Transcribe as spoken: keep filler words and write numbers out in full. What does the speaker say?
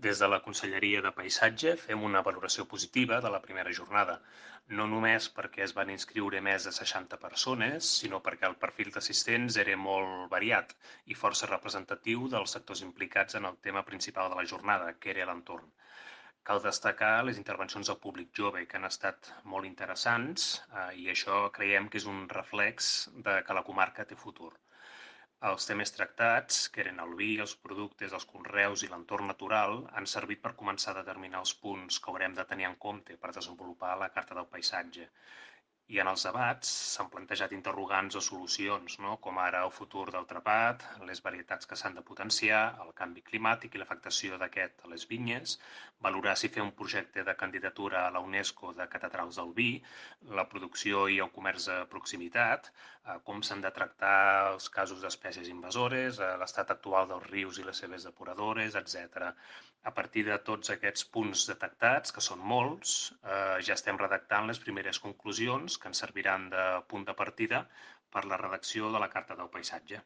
Des de la Conselleria de Paisatge fem una valoració positiva de la primera jornada, no només perquè es van inscriure més de seixanta persones, sinó perquè el perfil d'assistents era molt variat i força representatiu dels sectors implicats en el tema principal de la jornada, que era l'entorn. Cal destacar les intervencions del públic jove, que han estat molt interessants eh, i això creiem que és un reflex de que la comarca té futur. Els temes tractats, que eren el vi, els productes, els conreus i l'entorn natural, han servit per començar a determinar els punts que haurem de tenir en compte per desenvolupar la Carta del Paisatge. I en els debats s'han plantejat interrogants o solucions, no? Com ara el futur del trepat, les varietats que s'han de potenciar, el canvi climàtic i l'afectació d'aquest a les vinyes, valorar si fer un projecte de candidatura a la UNESCO de catedrals del vi, la producció i el comerç de proximitat, eh, com s'han de tractar els casos d'espècies invasores, eh, l'estat actual dels rius i les seves depuradores, etcètera. A partir de tots aquests punts detectats, que són molts, eh, ja estem redactant les primeres conclusions que ens serviran de punt de partida per la redacció de la Carta del Paisatge.